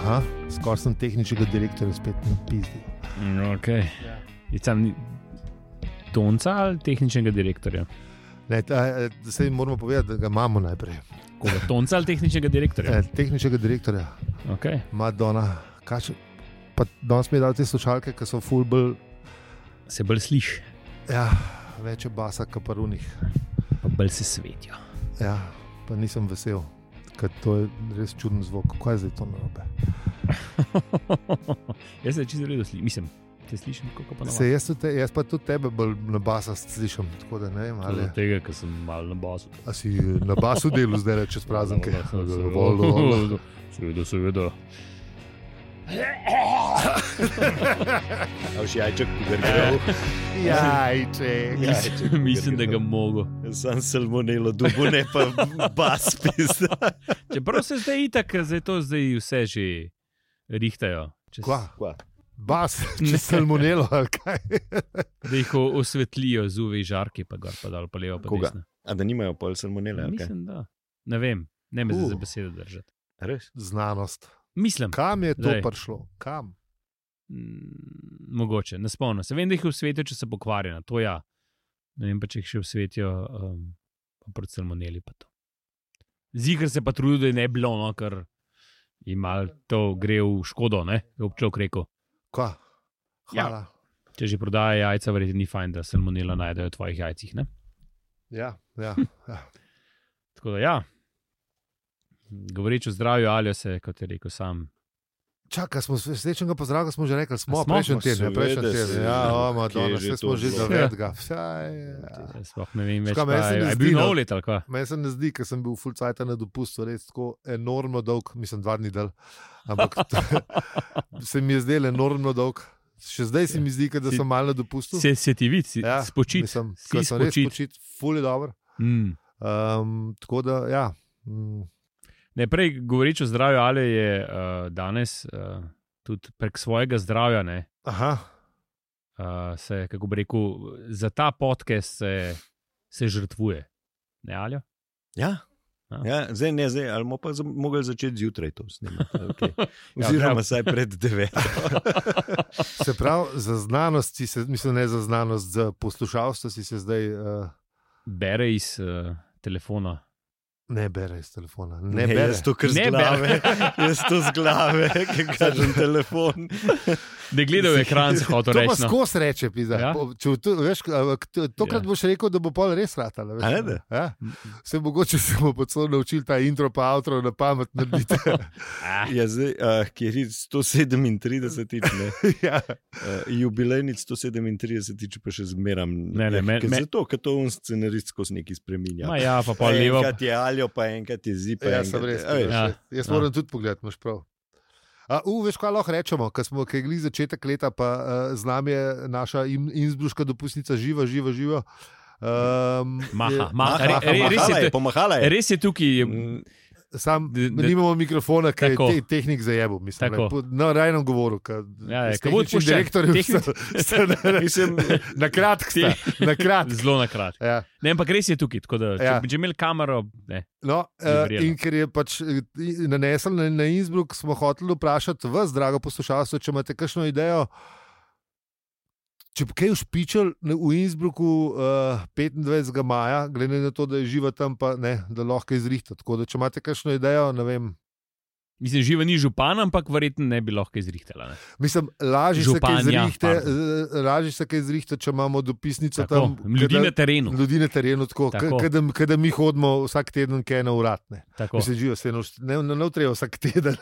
Aha, skoraj sem tehničnega direktorja spet napizdil. Okay. Ja. Je sam Tonca ali tehničnega direktorja? Ne, zdaj moramo povedati, da ga imamo najprej. Koga, Tonca ali tehničnega direktorja? Tehničnega direktorja. Okay. Madonna. Pa danes mi je dal te slušalke, ki so full bolj... Se bolj sliši. Ja, več je basa kaparunih. Pa bolj se svetijo. Ja, pa nisem vesel, ker to je res čuden zvok. Kaj je zdaj to narobe? Jaz se čisto redo slišim. Mislim, te slišim kako pa jaz pa tudi tebe bolj na basast slišim. Tako da ne vem, ali... Od tega, ker sem malo na basu. A si na basu delu zdaj čez praznike? Seveda. A už jajček pogrgal? Jajček. Mislim, da ga mogo. Sam salmonelo dubo, ne pa bas pizda. Čeprav se zdaj itak, zdaj vse že rihtajo. Kva? Bas, če salmonelo ali kaj? Da jih osvetlijo z UV žarki, pa gor pa dal, pa levo pa desno. A da nimajo pol salmonele? Mislim, da. Ne vem, ne me zdaj za besedo držati. Res? Znanost. Mislim. Kam je to prišlo? Kam? Mogoče, ne spomnim se. Vem, da jih v svetu, če se pokvarjena, to ja. Ne vem pa, če jih še v svetijo pa proti salmoneli pa to. Zikr se pa trudi, da je ne bilo, no, ker jim malo to gre v škodo, ne? Je občok rekel. Kva? Hvala. Ja. Če že prodaja jajca, verjetno ni fajn, da salmonela najdejo v tvojih jajcih, ne? Ja. Tako da ja. Govoreč o zdravju, Aljo se, kot je rekel sam. Čakaj, smo srečnega pozdravka, smo že rekli, smo prejšnji teden. Ja, Madonna, vse smo že zavedga. Sploh ne vem več, je bil nov let ali kva? Meni se ne zdi, ker sem bil full cajta na dopustu, res tako enormno dolg, mislim 2 dni del, ampak se mi je zdel enormno dolg. Še zdaj se mi zdi, da sem malo na dopustu. Se ti vidi, spočit. Mislim, ko sem res spočit, full je dober. Tako da, ja. Ne, prej govoreč o zdravju, Ali je danes tudi prek svojega zdravja, ne, se, kako bi rekel, za ta podcast se žrtvuje. Ne, Aljo? Ja, zdaj, ali bomo pa mogli začeti zjutraj to snimati. Okay. Oziroma saj pred 9. Se pravi, za znanost, mislim ne za znanost, za poslušalstvo si se zdaj... Bere iz telefona. Ne bere iz telefona. Ne bere. Jaz to kar z glave. Jaz to z glave, ki kažem telefon. Ne gledal ekran, se hotel reči. To pa skos reče, pizda. Ja? Tokrat boš rekel, da bo pol res ratala. Ja? Se mogoče se bomo pod celo naučili ta intro pa outro na pamet narediti. Ja, zdaj, kjer je 137, ne? Ja. Jubilejnic 137, pa še zmeram. Zato, ker to on scenarist skozi neki spreminja. Ja, pa pol levo. Enkrat je Aljo, pa enkrat je Zipa. Ja, sem res. Jaz moram tudi pogledati, imaš prav. Veš, kaj lahko rečemo, ko je glih začetek leta, pa z nami je naša innsbruška dopustnica živa. Pomahala je. Res je tukaj. Sam nimamo mikrofona, ker je tehnik zajebil. Na rajnem govoru. Tehnični direktorji na kratk sta. Zelo na kratk. Ja. Ne, ampak res je tukaj, tako da če imeli kamero, ne. No, in ker je pač nanesel na Innsbruck, smo hoteli vprašati vas, drago poslušalstvo, če imate kakšno idejo, če bi kaj ušpičal v Innsbrucku 25. maja, glede na to, da je živa tam, pa ne, da lahko izrihta. Tako da, če imate kakšno idejo, ne vem. Mislim, živa ni župan, ampak verjetno ne bi lahko izrihtala. Ne? Mislim, lažje se kaj izrihta, če imamo dopisnico tako, tam. Ljudi na terenu. Ljudi na terenu, tako. Kada mi hodimo vsak teden kaj na urad. Mislim, živa se ne treba vsak teden.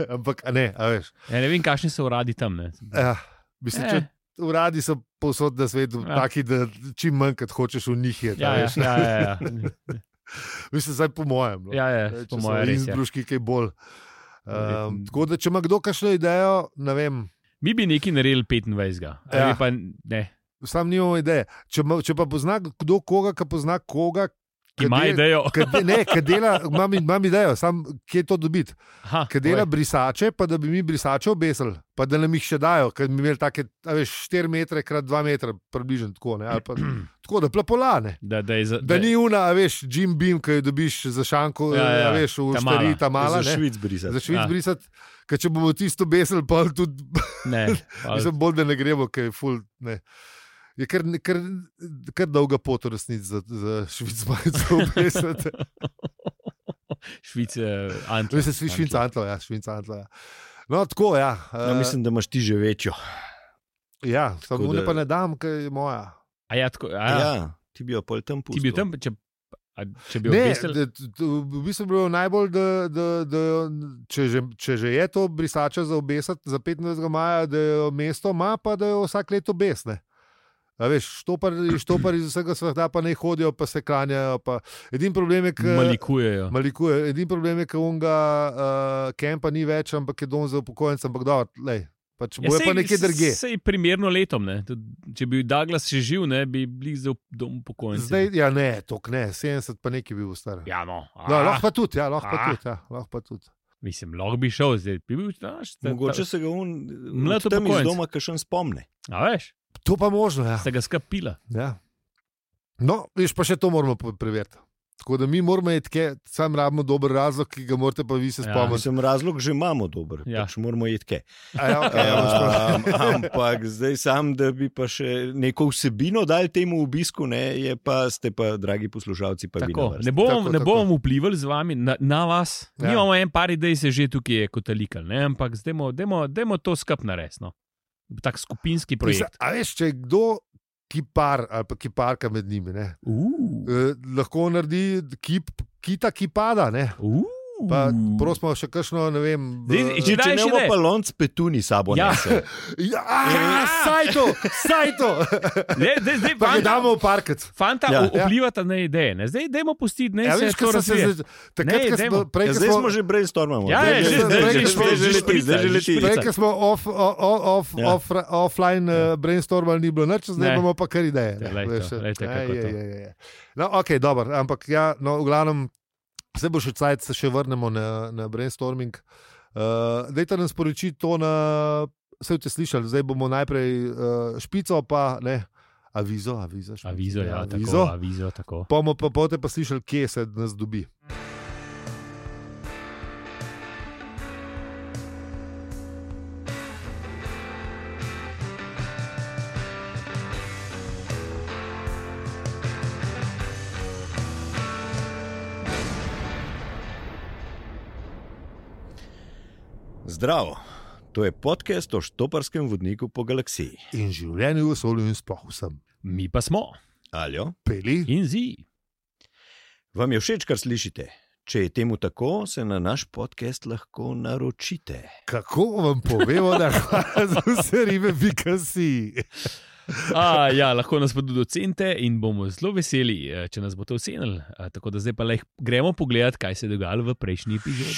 Ampak, ne, a veš. Ja, ne vem, kakšni so uradi tam, ne. Ja, mislim, če uradi so povsod na svetu taki, da čim manj, kad hočeš v njih je. Ja. Mislim, zdaj po mojem. No. Ja, po mojem res. Innsbruški kaj bolj. Tako da, če ima kdo kakšno idejo, ne vem. Mi bi nekaj naredili 25. Ja. Pa ne. Sam nimamo ideje. Če pa pozna kdo koga, ki pozna koga, Ima idejo. Imam idejo, sam kje to dobiti. Ker dela brisače, pa da bi mi brisače obesili, pa da nam jih še dajo, ker bi imeli take 4 metre krat 2 metra, približno tako, ne, ali pa tako, da plapolane. Da ni una, Jim Beam, ki jo dobiš za šanko, v štari, ta mala. Za Švic brisati. Za Švic brisati, ker če bomo tisto obesili, pa tudi, mislim, bolj da ne gremo, ker je ful, ne. Je kar dolga pot v resnici za Švic majico obesati. Švice Antlo. Švica Antlo, ja. No, tako, ja. Mislim, da imaš ti že večjo. Ja, samo ne pa ne dam, ker je moja. Ja, ti bi jo pol tam pustil. Ti bi jo tam, če bi obesil? V bistvu bi bilo najbolj, da če že je to brisača za obesati za 25. maja, da jo mesto ima, pa da jo vsak let obesne. Štopar iz vsega sveta pa ne hodijo, pa se klanjajo. Edini problem je, malikujejo. Edini problem je, ker unga kempa ni več, ampak je dom za upokojence, ampak dobro, bojo pa nekje drugje. Sej primerno letom, ne. Če bi Douglas še živ, ne, bi bili za dom upokojence. Zdaj, ne, tok ne, 70 pa nekaj bi bil star. Ja, no. Lahko pa tudi. Mislim, lahko bi šel, zdaj bi bil. Mogoče se ga tam iz doma kakšen spomne. A veš? To pa možno, ja. Ste ga skapila. Ja. No, viš, pa še to moramo preveriti. Tako da mi moramo jedke, sam rabimo dober razlog, ki ga morate pa vi se spomniti. Mislim, razlog že imamo dober, pač moramo jedke. Okay, ampak zdaj sam, da bi pa še neko vsebino dali temu obisku, ne, ste pa, dragi poslušalci, pa tako, vi na vrsti. Ne bomo vplivali z vami na vas. Mi imamo en par idej, se že tukaj je kotalikal, ne, ampak dajmo to skap narediti, no. Tak skupinski projekt. A veš, če je kdo kipar ali pa kiparka med njimi, ne? Lahko naredi kita kipada, ne? Pa prosimo še kakšno, ne vem. Če ne bomo pa lonc petuni sabo nese. Saj to. Pa ga damo v parkec. Fanta, vplivata na ideje. Ne? Zdaj dajmo pustiti, ne se to razvije. Zdaj smo že brainstormamo. Prej, ko smo offline brainstormali, ni bilo nič, zdaj bomo pa kar ideje. No, ok, dobro, ampak ja, no, v glavnem, vse bo še cajt, se še vrnemo na brainstorming. Dajte nam sporočiti to vse ste slišali, zdaj bomo najprej špico, pa ne, avizo, tako. Pa boste pa slišali, kje se nas dobi. Zdravo, to je podcast o štoparskem vodniku po galaksiji. In življenju v vesolju in sploh vsem. Mi pa smo Aljo, Peli in Zi. Vam je všeč, kar slišite? Če je temu tako, se na naš podcast lahko naročite. Kako vam povemo, da za vse ribe pikasi? Ja, lahko nas pa tudi ocenite in bomo zelo veseli, če nas boste ocenili. Tako da zdaj pa gremo pogledat, kaj se je dogajalo v prejšnji epizodi.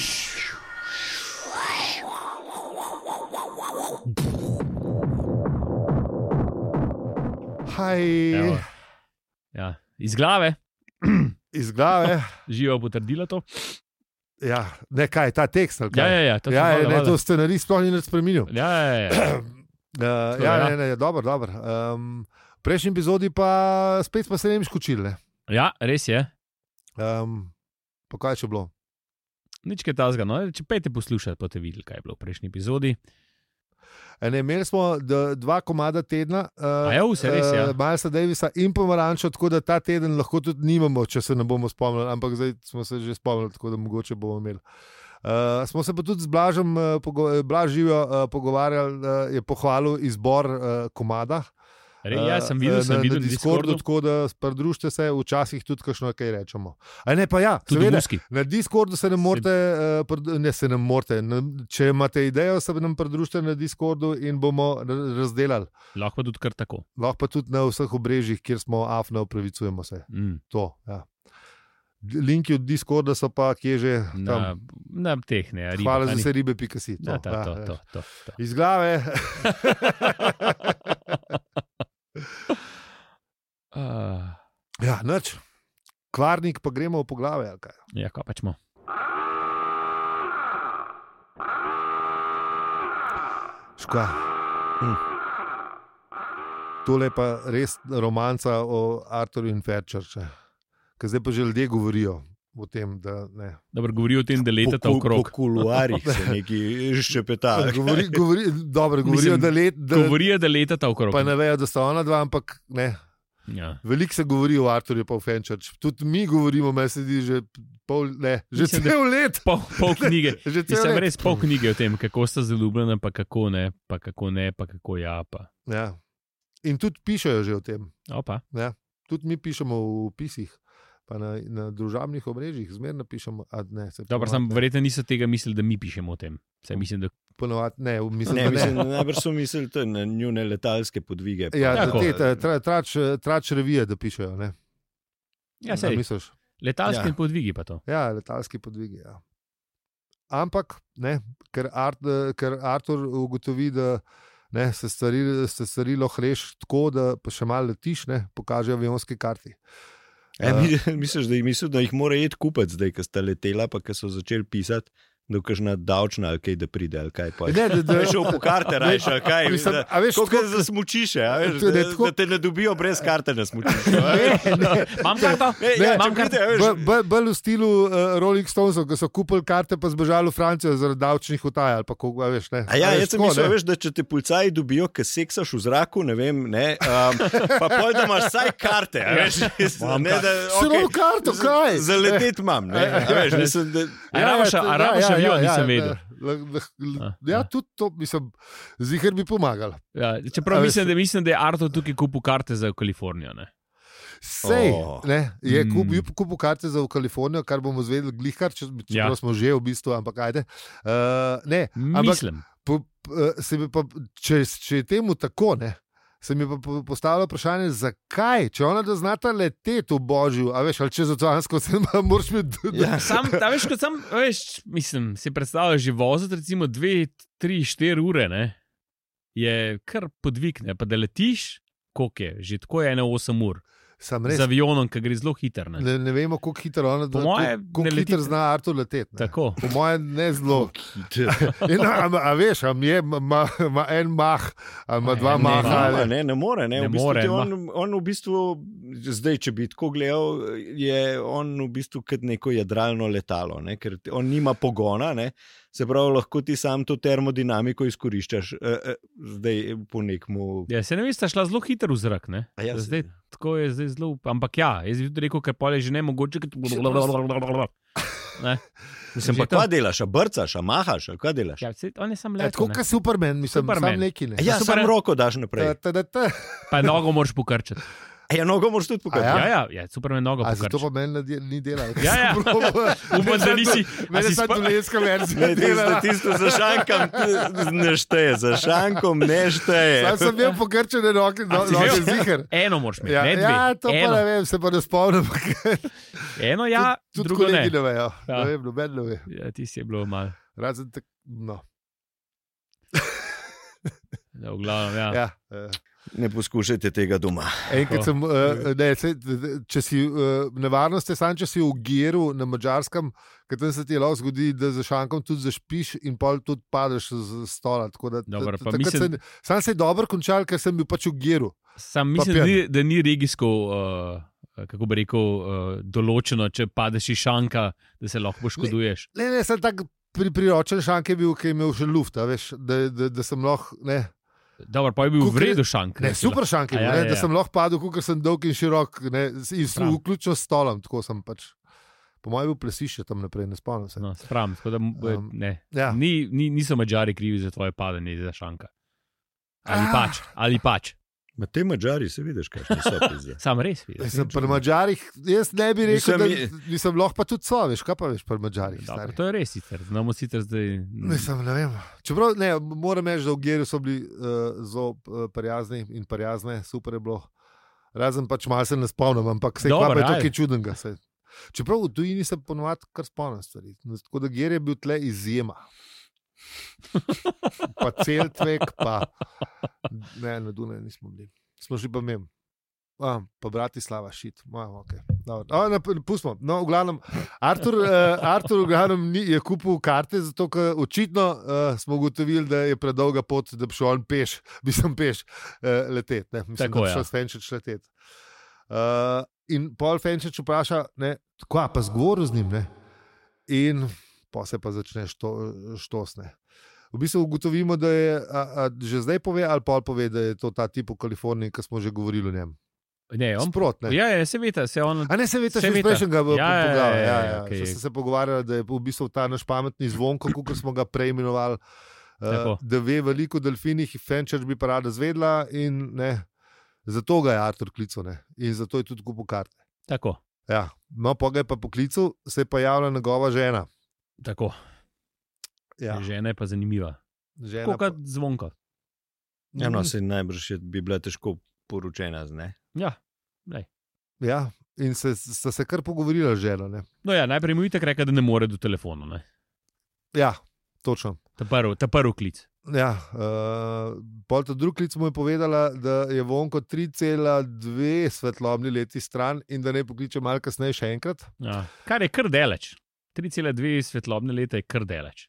Ja, iz glave. Živa potrdila to. Ja, ne kaj, ta tekst. Ja, to scenarij sploh ni nič spremenil. Ja. Dobro. V prejšnji epizodi pa spet smo se skočili. Ja, res je. Pa kaj je še bilo? Nič kaj tazga, no, če pejte poslušati, pa te videli, kaj je bilo v prejšnji epizodi. Imeli smo 2 komada tedna, Milesa Davisa in Pomarančo, tako da ta teden lahko tudi nimamo, če se ne bomo spomnili, ampak zdaj smo se že spomnili, tako da mogoče bomo imeli. Smo se pa tudi z Blažem, Blaž Živijo pogovarjali, je pohvalil izbor komada. Ja, sem videl na Discordu. Tako da pridružite se, včasih tudi kakšno kaj rečemo. Ne, pa ja, seveda, na Discordu se ne morate, če imate idejo, se nam pridružite na Discordu in bomo razdelali. Lahko pa tudi kar tako. Lahko pa tudi na vseh obrežjih, kjer smo afne, opravičujemo se. To, ja. Linki od Discorda so pa kje že tam. Na teh, ne. Hvala za vse ribe, pikasi. To. Iz glave. Ja, nič. Kvarnik, pa gremo v poglavje. Ali kaj? Ja, kaj pač smo. Škoda. Tole je pa res romanca o Arthurju in Fairchurchu, ker zdaj pa že ljudje govorijo o tem, da ne. Dobro, govorijo o tem, da letata okrog. Po kuluarjih se neki ščepetajo. Govorijo, da letata okrog. Pa ne vejo, da sta ona dva, ampak ne. Ja. Veliko se govori o Arthurju pa o Fairchurchu. Tudi mi govorimo, me sedi že cel let. Pol knjige. Mislim, res pol knjige o tem, kako sta zaljubljena, pa kako ne, pa kako ja. Pa. Ja. In tudi pišejo že o tem. Opa. Ja. Tudi mi pišemo v pisih, pa na družabnih omrežjih zmerno pišemo. Dobro, sam verjetno niso tega mislili, da mi pišemo o tem. Saj mislim, da ponovadi ne. Najbrž so mislili na njune letalske podvige. Ja, trač revije, da pišejo. Ne? Ja, sej. Letalski podvigi pa to. Ja, letalski podvigi, ja. Ampak, ne, ker Artur ugotovi, da ne, se stvari lahko reši tako, da pa še malo letiš, ne, pokaže avionski karti. Misliš, da jih mora iti kupec zdaj, ko sta letela, pa ko so začeli pisati, da je kakšna davčna ali kaj, da pride, ali kaj pa. Da je šel po karte rajš, ali kaj. Koliko za smučiše, da te ne dobijo brez karte na smučiše. Imam karto? Imam karte. Bolj v stilu Rolling Stonesov, ko so kupili karte pa zbežali v Francijo zaradi davčnih utaj, ali pa koga, veš, ne. Jaz sem mislil, veš, da če te policaji dobijo, ko seksaš v zraku, ne vem, ne, pa pol, da imaš saj karte, veš. Samo karto, kaj? Za letet imam, ne. Rabaš avion, nisem vedel. Ja, tudi to, mislim, ziher bi pomagal. Ja, čeprav mislim, da je Artur tukaj kupil karte za Kalifornijo, ne. Sej, ne, je kupil karte za Kalifornijo, kar bomo zvedeli glihkar, čeprav smo že v bistvu, ampak ajde. Ne, mislim. Če je temu tako, ne, se mi pa postavlja vprašanje, zakaj, če ona da znata leteti v Božju, a veš, ali čez oceansko, se moraš imeti... Ja, mislim, si predstavljaš že voziti recimo 2, 3, 4 ure, ne, je kar podvig, ne, pa da letiš, koliko je, že tako je 8 ur. Z avionom, ki gre zelo hiter. Ne vemo, koliko hiter ona, koliko hiter zna Artur leteti. Tako. Po moje ne zelo. A veš, ima en mah, ima dva maha. Ne more. On v bistvu, zdaj, če bi tako gledal, je on v bistvu kot neko jadralno letalo, ne? Ker on nima pogona, ne? Se pravi, lahko ti sam to termodinamiko izkoriščaš zdaj po nekmu... Ja, se ne vem, sta šla zelo hiter v zrak, ne? Ja, zdaj, tako je zdaj zelo... Ampak ja, jaz bi tudi rekel, ker pol je že ne mogoče... Mislim, pa kaj delaš, a brcaš, a mahaš, a kaj delaš? Ja, on je sam leto, tako kot Superman, mislim, sam neki, ne. Ja, sam roko daš naprej. Pa nogo moraš pokrčati. Ja, nogo moraš tudi pokazati. Ja, Superman nogo pokrčati. Zato pa meni ni delal. Ja. Upam, da nisi... Meni je sad dolenska verzija. Ne, tisto za šankom ne šteje, za šankom ne šteje. Sam sem bil pokrčene noge ziher. Eno moraš imeti, ne dve. Ja, to pa ne vem, se pa ne spomnim. Eno ja, drugo ne. Tudi kolegi ne vejo. Ne vem, noben ne ve. Ja, ti si je bilo malo. Razen tak, no. V glavnem, ja. Ne poskušajte tega doma. Enkrat sem, če si nevarnost je sam, če si v Giru na Madžarskem, ker tam se ti lahko zgodi, da za šankom tudi zašpiš in pol tudi padeš z stola. Sam se je dobro končal, ker sem bil pač v Giru. Sam mislim, da ni regijsko, kako bi rekel, določeno, če padeš iz šanka, da se lahko poškoduješ. Ne, sem tak priročen šank je bil, ki je imel še luft, veš, da sem lahko, ne. Dobro, pa je bil v redu šank. Ne, super šank je bil, da sem lahko padel, ker sem dolg in širok, ne, vključno s stolom, tako sem pač. Po mojem bil plesišče tam naprej, ne spomnim se. No, spravim, tako da ne. Ja. Niso Madžari krivi za tvoje padanje za šanka. Ali pač. Ma te Madžari se vidiš, kaj so pizde. Sam res vidiš. Pri Madžarih, jaz ne bi rekel, da nisem lahko pa tudi so, veš, kaj pa veš pri Madžarih. Dobro, to je res sicer, znamo sicer zdaj... Ne vem. Čeprav, ne, moram reči, da v Gerju so bili zelo prijazni in prijazne, super je bilo. Razen pač malo se ne spomnim, ampak se pa je to kaj čudnega. Čeprav v tujini se ponovadi kar spomnim stvari. Tako da Ger je bil tle izjema. Pa Celtvek, pa ne, na Dunaju nismo bili. Smo šli pa mem. Pa Bratislava, šit. Okay. Pustimo. No, v glavnem, Artur v glavnem je kupil karte, zato ker očitno smo ugotovili, da je predolga pot, da bi šel on peš, leteti. Mislim, tako, da bi šel Fenčič leteti. In Paul Fenčič vpraša, kva pa zgovoril z njim, ne? In pa se pa začne štosne. V bistvu ugotovimo, da je že zdaj pove, ali Paul pove, da je to ta tip v Kaliforniji, ki smo že govorili o njem. Ne, on Sprot, ne? Ja, se veta, se on. A ne, se veta, še iz prejšnjega poglavja. Okay. Smo se pogovarjali, da je v bistvu ta naš pametni zvonko, kot smo ga preimenovali, da ve veliko o delfinih, Fenčič bi pa rada zvedla in zato ga je Artur klical, in zato je tudi kupil karte. Tako. Ja, no, pa ga je pa poklical, se je pa javila njegova žena. Tako. Ja. Žena je pa zanimiva. Kot zvonko. Ja, no, se najbrž bi bila težko poročena, ne? Ja, daj. Ja, in sta se kar pogovorila z ženo, ne? No ja, najprej mu itak rekel, da ne more do telefona, ne? Ja, točno. Ta prvi klic. Ja, pol ta drugi klic mu je povedala, da je Vonko 3,2 svetlobni leti stran in da ne pokliče malo kasneje še enkrat. Ja, kar je kar daleč. 3,2 svetlobne leta je kar daleč.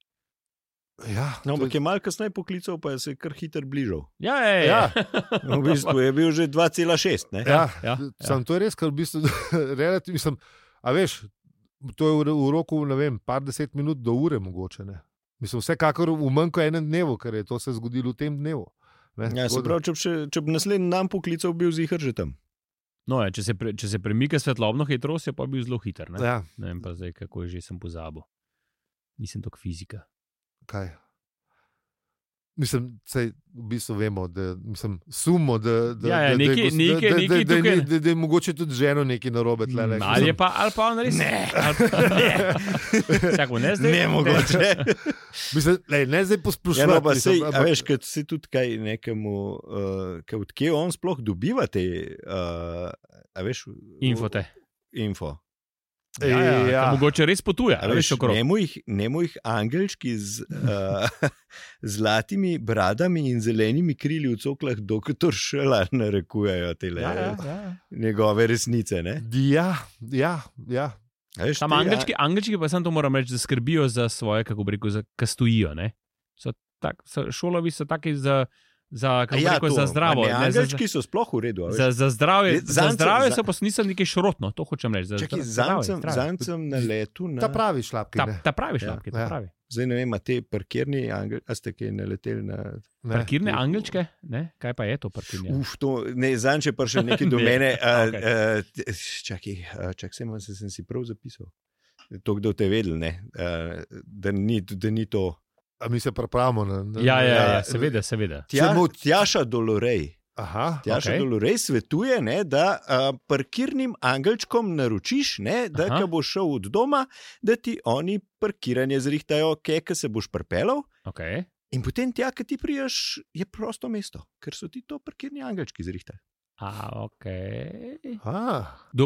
Ja, no, ampak je malo kasneje poklical, pa je se kar hitro bližal. Ja. V bistvu je bil že 2,6. Ja. Sam to je res, ker v bistvu relativno sem, a veš, to je v roku, ne vem, par 10 minut do ure mogoče, ne. Mislim, vsekakor v manj kot enem dnevu, ker je to se zgodilo v tem dnevu. Ja, se pravi, če bi naslednji dan poklical, bil zihar že tam. No, ja, če se premika svetlobno hitrost, je pa bil zelo hiter, ne? Ja. Ne vem pa zdaj, kako je že sem pozabil. Nisem toliko fizika. Kaj? Mislim, sej v bistvu vemo, da sumo, da je mogoče tudi ženo nekaj narobe tle. Ali pa on res? Ne. Čakaj, ne zdaj? Ne mogoče. Mislim, ne zdaj posplošiti. Ja, no, pa sej, a veš, kad si tudi kaj nekemu, odkje on sploh dobiva te, a veš? Info. Ja. Mogoče res potuje. Nemo jih angelčki z zlatimi bradami in zelenimi krili v coklah doktor Šela narekujejo te njegove resnice. Ne? Ja. Tam angelčki pa sem to moram reči, da skrbijo za svoje, kako bi rekel, ka stojijo. Šolovi so taki za zdravo. Angelčki so sploh v redu. Za zdravje so pa niso nekaj šrotno, to hočem reči. Zancem na letu. Ta pravi šlapki. Ta pravi šlapki, ta pravi. Zdaj ne vem, a te parkirni angelčki, a ste kaj naleteli na... Parkirne angelčke? Ne? Kaj pa je to parkirne? Zanče pa še nekaj do mene. Čakaj, sem si prav zapisal. To, kdo te vedel, ne? Da ni to... A mi se pripravimo na... Ja, seveda. Tjaša Dolorej. Dolorej svetuje, da parkirnim angelčkom naročiš, da ko boš šel od doma, da ti oni parkiranje zrihtajo, ko se boš pripeljal. Okay. In potem tja, ko ti prijaš, je prosto mesto, ker so ti to parkirni angelčki zrihtali.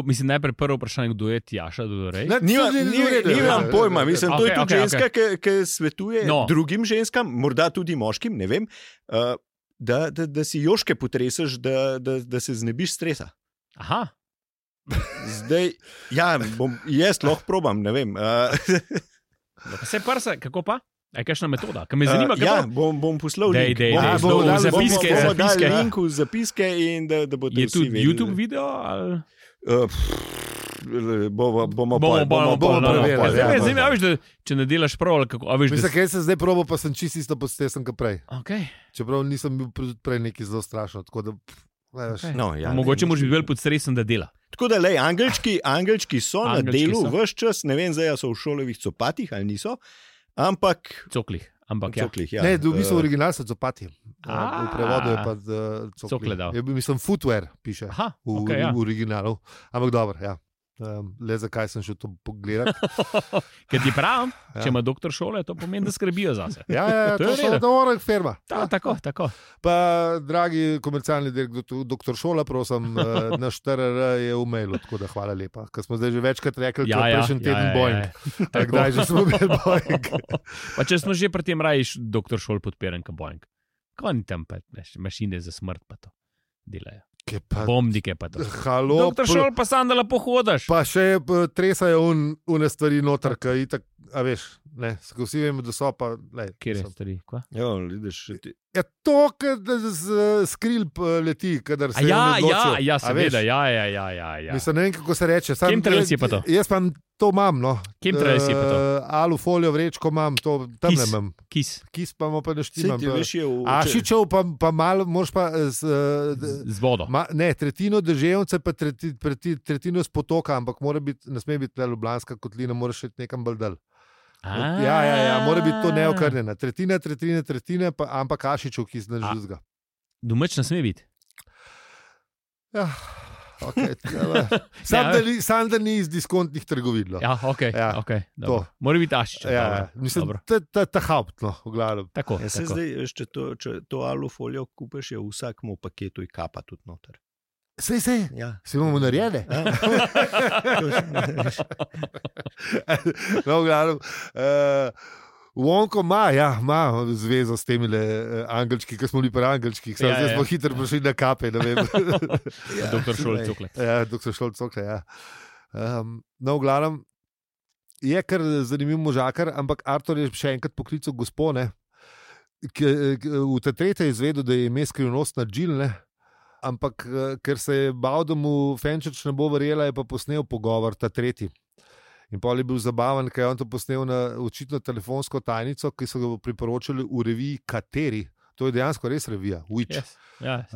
Mislim, najprej prvo vprašanje, kdo je Tjaša Dolorej? Nimam pojma, mislim, to je tudi ženska, ki svetuje drugim ženskam, morda tudi moškim, ne vem, da si joške potresaš, da se znebiš stresa. Aha. Zdaj, jaz lahko probam, ne vem. Se prsa, kako pa? Je kakšna metoda? Kaj me zanima, bom poslal link. Bom dal link v zapiske in da boste vsi vedeli. Je tudi YouTube video? Bomo preverili. Če ne delaš prav, kako... Mislim, kaj se zdaj probo, pa sem čisto isto podstesen, kot prej. Okay. Čeprav nisem bil prej neki zelo strašen. Mogoče moraš biti bolj podstresen, da dela. Tako da, angelčki so na delu ves čas, ne vem, zdaj so v šolovih copatih ali niso. Ampak coklih, ja. Ne, v bistvu original so copati. V prevodu je pa cokle dal. Mislim, footwear piše v originalu. Ampak dobro, ja. Le zakaj sem šel to pogledati. Ker ti pravim, če ima doktor šole, to pomeni, da skrbijo zase. Ja, to je dobra firma. Tako. Pa, dragi komercialni doktor šola, prosim, naš TRR je v mailu, tako da hvala lepa. Ker smo zdaj že večkrat rekli, da je prejšnji teden Boeing. Kdaj že smo imeli Boeing? Pa če smo že pri tem rajiš doktor šol podpiran, ka Boeing. Ko ni tam pa mašine za smrt pa to delajo. Bombnike pa to. Halo, Doktor Šol pa sam, da lepo hodaš. pa še tresajo une stvari noter, ki itak, a veš, ne, vsi vemo, da so pa, lej. Kjer je stvari? Kva? Ja, vidiš, Ja, to, kad z skril leti, kadar se Ja, seveda, ja. Mislim, ne vem, kako se reče. Chemtrails je pa to. Jaz pa to imam, no. Chemtrails je pa to. Alufolijo vrečko imam, to tam ne imam. Kis. Kis pa mu pa ne Sej štimam. ti veš, je Ašičev pa malo, moraš pa Z vodo. ne, tretjino deževnice pa tretjino s potoka, ampak ne sme biti le Ljubljanska kotlina, moraš še nekam bolj dal. Ja, mora biti to neokrnjena. Tretjina, ampak Ašičev, ki se ne žuzga. Domač ne sme biti. Ja, okay, sam da ni iz diskontnih trgovin. No. Ja, ok. Mora biti Ašičev. Ja, mislim, ta haupt, no, v glavnem. Tako. Ja, se zdaj, če to alufolijo kupeš, je v vsakmu paketu in kapa tudi noter. Sej, Ja. si imamo narejene. No, v glavnem. Vonko ima zvezo s temi angelčki, ki smo bili pri angelčkih. Zdaj smo hitro prišli na kape. Doktor Šol Cokle. Ja, doktor Šol Cokle, ja. No, v glavnem, je kar zanimiv možakar, ampak Artur je še enkrat poklical gospone, v te tretje izvedel, da je ime skrivnostna Jill, ne? Ampak ker se je bal, da mu Fenčeč ne bo verjela, je pa posnel pogovor, ta tretji. In pol je bil zabaven, ker je on to posnel na očitno telefonsko tajnico, ki so ga priporočili v reviji Kateri. To je dejansko res revija, Witch. Yes. Ja,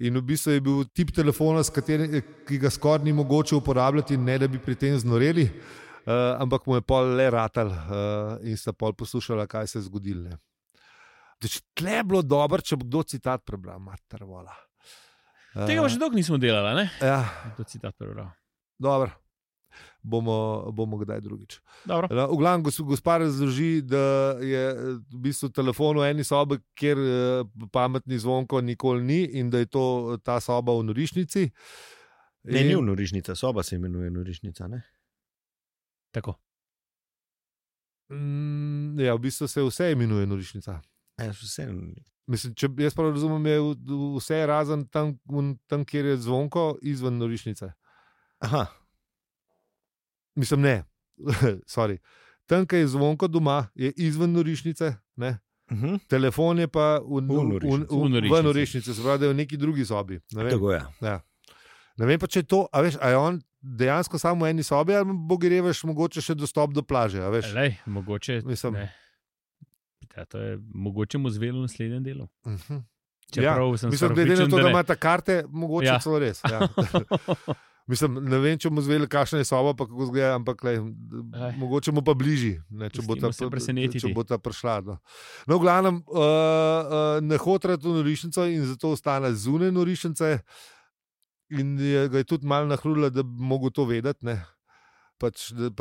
In v bistvu je bil tip telefona, ki ga skoraj ni mogoče uporabljati, ne da bi pri tem znoreli, ampak mu je pol le ratal in sta pol poslušala, kaj se je zgodilo. Tle je bilo dobro, če bo kdo citat prebral, mater vola. Tega pa še dolgo nismo delali, ne? Ja, To citat prebral. dobro. Bomo kdaj drugič. Dobro. V glavnem, gospa razloži, da je v bistvu telefon v eni sobi, kjer pametni zvonko nikoli ni in da je to ta soba v norišnici. Ne, ni v norišnica, soba se imenuje norišnica, ne? Tako. Ja, v bistvu se vse imenuje norišnica. Ja, vse. Mislim, če jaz prav razumem, je vse razen tam, kjer je zvonko, izven norišnice. Aha. Mislim, ne, sorry. Tam, kjer je zvonko doma, je izven norišnice, ne? Telefon je pa v norišnici, se pravi, da je v neki drugi sobi. Tako je. Ja. Ne vem pa, če je to, a veš, a je on dejansko samo v eni sobi, ali bo greveš mogoče še dostop do plaže, a veš? Lej, mogoče, Mislim, ne. Ja, to je mogoče mu zvelo v naslednjem delu. Čeprav sem mislim, glede na to, da ima ta karte, mogoče celo res. Ja. Mislim, ne vem, če mu zveli, kakšna je soba, pa kako zgleda, ampak mogoče mu pa bližji, ne, če bo ta prišla. No, v glavnem, ne hotra to norišnico in zato ostane zunaj norišnice in ga je tudi malo nahrudila, da bi mogel to vedeti, ne. Pač, da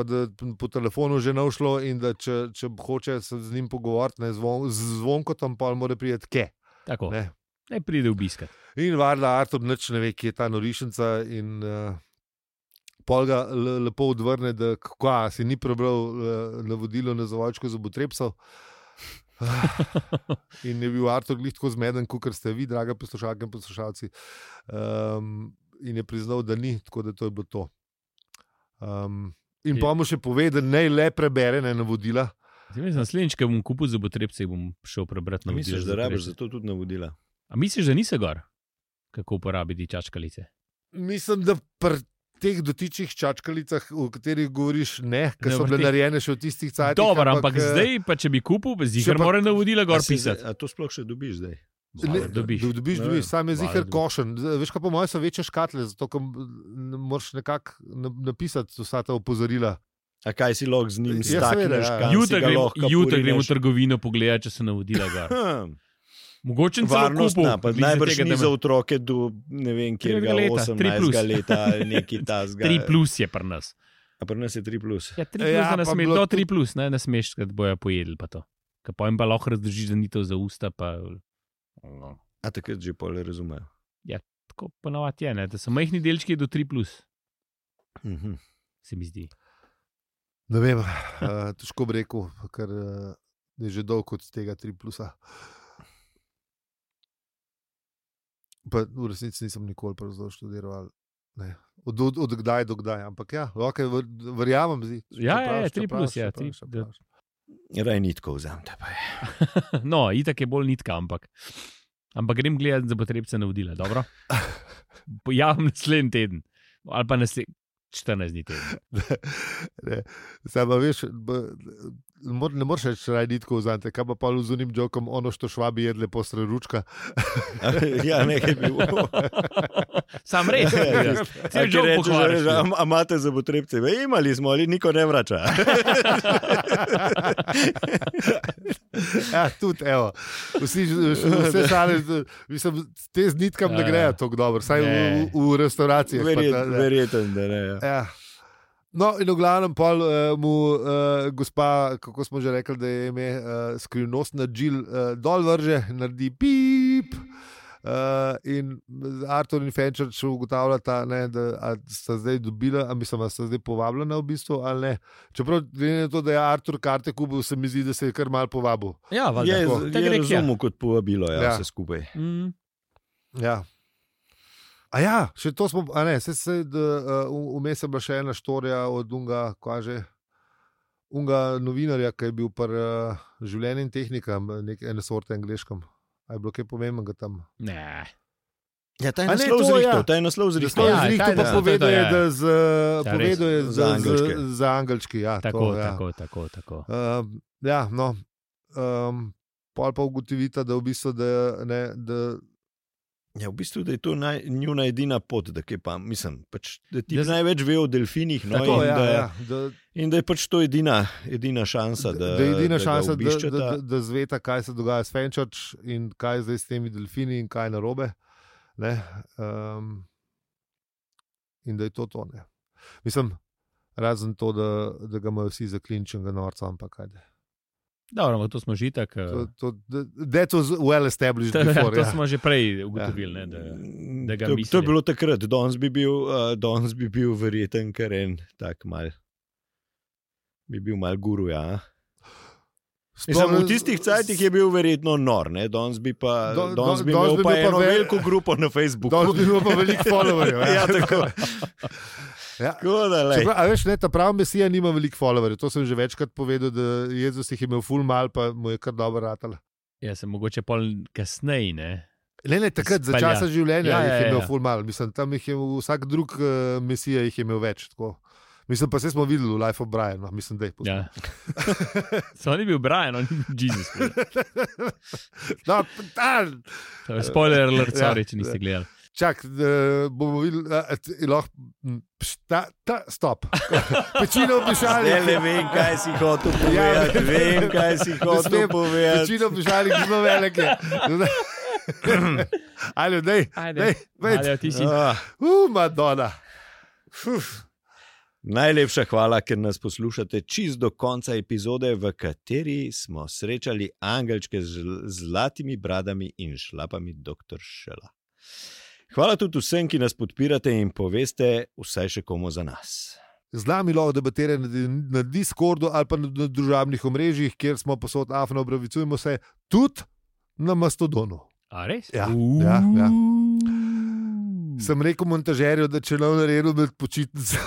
po telefonu že naušlo in da če hoče se z njim pogovoriti, ne, zvonko tam pa mora priti ke. Tako, ne pride obiskat. In varda Artur nič ne ve, kje je ta norišnica in pol ga lepo odvrne, da si ni prebral navodilo na zavojčko zobotrebcev. In je bil Artur glih tako zmeden, kakor ste vi, draga poslušalke in poslušalci. In je priznal, da ni, tako da to je bilo to. In pa mu še pove, da naj le prebere navodila. Naslednjič, ko bom kupil zobotrebce, bom šel prebrati navodila. Misliš, da rabiš za to tudi navodila? A misliš, da nisi gor, kako uporabiti čačkalice? Mislim, da pri teh dotičnih čačkalicah, o katerih govoriš, ne, ker so bile narejene še v tistih cajtih. Dobro, ampak zdaj, pa če bi kupil, ziher mora navodila gor pisati. A to sploh še dobiš zdaj? Dobiš, sam je ziher košen. Veš, kaj po mojem so večje škatle, zato ker moraš nekako napisati vsa ta opozorila. A kaj si lahko z njim stakneš? Jutri gremo v trgovino pogledati, če se navodila gor. Mogoče celo kupil. Najbrž ni za otroke do, ne vem, kjerga 18 leta, neki tazga. 3+ je pri nas. A pri nas je 3+. Ja, 3+, ne smeš, to 3+, ne smeš, kad bojo pojedli pa to. Ka pojem pa lahko razdržiš, da ni to za usta, pa... A takrat že pol razumejo. Ja, tako ponavadi je, ne, da so majhni delčki do 3+. Se mi zdi. Ne vem, težko bi rekel, ker je že dolgo od tega 3+. Pa v resnici nisem nikoli pravzaprav študiral. Ne. Od kdaj do kdaj, ampak ja, okay, verjamem. Ja, 3+, ja. Raj nitko vzamete. No, itak je bolj nitka, ampak grem gledati za potrebce navodila, dobro? Pojavim naslednji teden, ali pa 14 dni teden. Sama veš, ne moreš reči raj nitko vzamete, kaj pa pa z unim jokom ono što švabi jedle posre ručka. Ja, nekaj bi bilo. Sam res. Če rečeš, a imate za potrebce? Imali smo, ali niko ne vrača. Ja, tudi, evo. Vse šale, mislim, te z nitkam ne grejo tako dobro, saj v restauracijah. Verjetno, da ne. Ja. No, in v glavnem pol mu gospa, kako smo že rekli, da je ime skrivnostna Jill dol vrže, naredi pip. In Artur in Fenčerč ugotavljata, da sta zdaj dobila, da sta zdaj povabljena v bistvu, ali ne. Čeprav glede na to, da je Artur karte kupil, se mi zdi, da se je kar mal povabil. Ja, je razumel kot povabilo, ja, vse skupaj. Ja. A ja, še to smo, a ne, vmes je bila še ena štorija od unga novinarja, ki je bil pri življenju in tehnika, ene sorte angleškem. A je bilo kaj pomembnega tam? Ne. Ja, ta je naslov zrihtal. Pa povedal je, da za angelčki. Ja, tako. Ja, no. Pol pa ugotovita, da v bistvu, Ja, v bistvu, da je to njuna edina pot, da ti največ ve o delfinih, no, tako, in da je pač to edina šansa, da da zveta, kaj se dogaja s Fenčerč in kaj zdaj s temi delfini in kaj narobe. In da je to. Ne. Mislim, razen to, da ga imajo vsi za klinčenega norca, ampak ajde. Dobro, to smo že tak. That was well established before. To smo že prej ugotovili, da ga misli. To je bilo takrat, danes bi bil verjeten kar en tak mal. Bi bil mal guru, ja. V tistih cajtih je bil verjetno nor, ne? Danes bi imel pa eno veliko grupo na Facebooku. Danes bi imel pa veliko followerjev. Ja, tako. Ja. A veš, ta prav mesija nima veliko followerjev. To sem že večkrat povedal, da Jezus jih je imel ful mal, pa mu je kar dobro ratalo. Ja, sem mogoče pol kasneje, ne? Ne, takrat za časa življenja jih je imel ful mal. Mislim, tam jih je vsak drug mesija jih je imel več. Tako. Mislim, pa se smo videli v Life of Brian. No, mislim, da je ja. So ni bil Brian, on je Jezus. No, spoiler alert, sorry, če niste gledali. Čak, bomo videli, stop. Pečino pišali. Ne vem, kaj si hotel povedati. Pečino pišali, ki smo velike. Ajde, dej. Ti si. Madonna. Najlepša hvala, ker nas poslušate čist do konca epizode, v kateri smo srečali angelčke z zlatimi bradami in šlapami dr. Šela. Hvala tudi vsem, ki nas podpirate in poveste vsaj še komu za nas. Z nami lahko debatirate na Discordu ali pa na družabnih omrežjih, kjer smo posod afno, opravicujemo se tudi na Mastodonu. A res? Ja. Sem rekel montažerju, da če ne bo naredil med počitnico,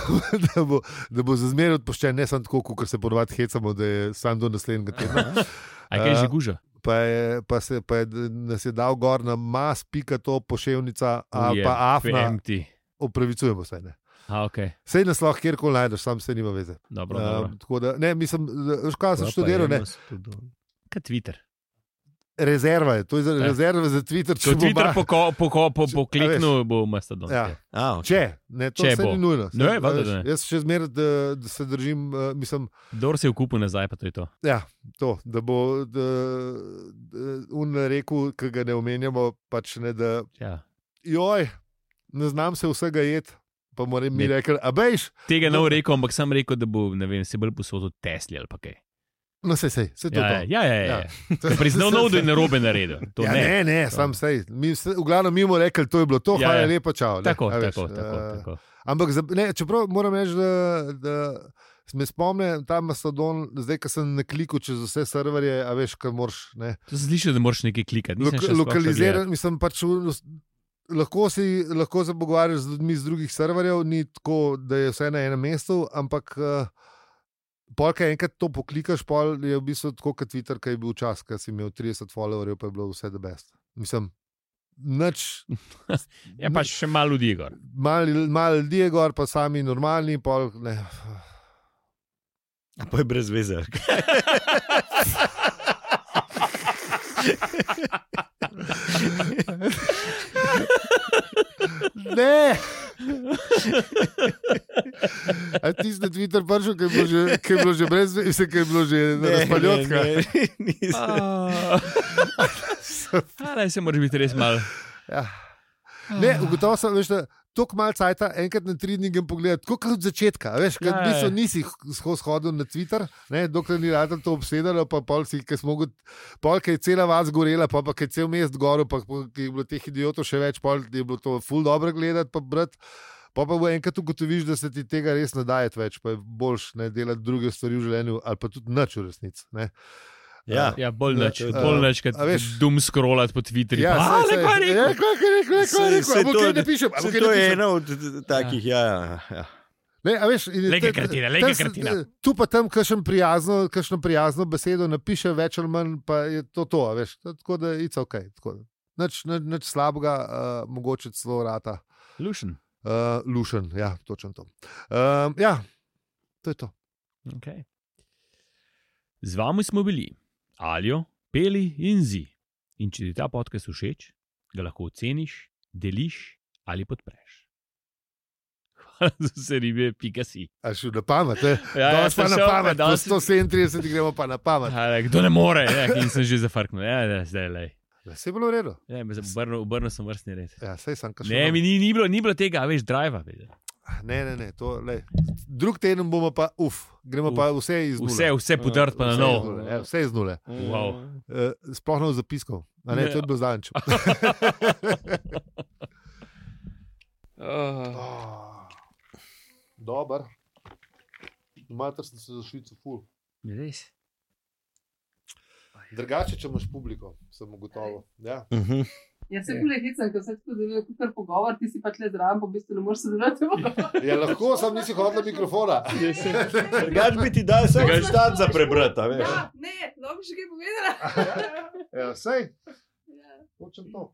da bo za zmeraj odpuščen, ne samo tako, kot se ponovadi hecamo, da je sam do naslednjega tedna. A kaj že guža? Pa nas je dal gor na mas.to poševnica ali pa afna. Opravicujemo se, ne. Okay. Sej nas lahko kjerkoli najdeš, sam se nima veze. Dobro. Tako da, ne, mislim, kaj sem študiral, ne. Kaj Twitter? Rezerva je, to je rezerva za Twitter. Če Twitter po kliknu, bo Mastodon. Ja. Okay. Če, ne, to se ni nujno. Jaz še zmeraj, da se držim, mislim... Dor se je vkupil nazaj, pa to je to. Ja, to, da bo on rekel, ki ga ne omenjamo, pač ne, da... Ja. Joj, ne znam se vsega jeti, pa moram mi rekel, a bejš? Tega ne bo rekel, ampak sem rekel, da bo, ne vem, se bolj posodil Tesli ali pa kaj. No, se to. Ja. Priznal nov, da je narobe naredil. Ne, sam sej. V glavnem mi bomo rekli, to je bilo to, hvala lepa, čau. Tako. Ampak, čeprav moram reči, da me spomne ta Mastodon, zdaj, ko sem na kliku čez vse serverje, a veš, kaj moraš, ne. To se sliši, da moraš nekaj klikati. Lokalizirati, mislim, pač lahko se pogovarjaš z ljudmi z drugih serverjev, ni tako, da je vse na enem mestu, ampak pol, kaj enkrat to poklikaš, pol je v bistvu tako kot Twitter, kaj je bil čas, kaj si imel 30 followerjev, pa je bilo vse the best. Mislim, nič. Ja, pa še malo ljudi je gor. Malo ljudi je gor, pa sami normalni, pol ne. A pa je brez veze. Ne! A ti si na Twitter prišel, kaj je bilo že brez veze, kaj je bilo že razpaljotka? Ne, se moraš biti res malo. Ja. Ne, ugotovo sem, veš, toliko malo cajta, enkrat na 3 dni grem pogledati, tako kot od začetka, veš, kad v bistvu nisi shodil na Twitter, ne, dokler ni rado to obsedalo, pa pol si, kaj smo pol, kaj je cela vas gorela, pa kaj je cel mest goro, pa kaj je bilo teh idiotov še več, pol je bilo to ful dobro gledati, pa brati, pa bo enkrat ugotoviš, da se ti tega res ne daje več, pa je boljš ne delati druge stvari v življenju, ali pa tudi nič v resnici, ne. Ja, bolj neč, kad dum scrollati po Twitterju. Ja, to je eno od takih, ja. Ne, a veš, Lega kratina. Tu pa tam kakšno prijazno besedo napiše, več ali manj, pa je to, a veš, tako da it's ok. Nič slabega, mogoče celo rata. Lušen. Lušen, ja, točno to. Ja, to je to. Okay. Z vami smo bili Aljo, Peli in Zi. In če ti ta podcast všeč, ga lahko oceniš, deliš ali podpreš. Hvala za vse ribe, .si. A šel na pamet, Ja, pa na pamet, po 137 gremo pa na pamet. Kdo ne more, in sem že zafrknul. Ja, zdaj lej. Vse je bilo v redu. Ja, obrnil sem vrstni red. Ja, sej sem kašel. Ne, mi ni bilo tega, veš, driva. Ne, to, lej. Drug teden bomo pa, gremo pa vse iz nule. Vse podrt pa na novo. Vse iz nule. Wow. Sploh ne v zapiskov. A ne, to je bilo zadnjič. Dobar. Mater sem se za Švico ful. Res. Drugače, če imaš publiko, sem ugotovil. Ja. Jaz se bolj hecam, ker se tako deluje kot kar pogovor, ti si pa tle zraven, pa v bistvu ne moreš sodelovati v pogovoru. Ja, lahko sam nisi hodila mikrofona. Drugač bi ti dal vse štat za prebrati, veš. Ja, ne, lahko še kaj povedala. Ja, sej. Hočem to.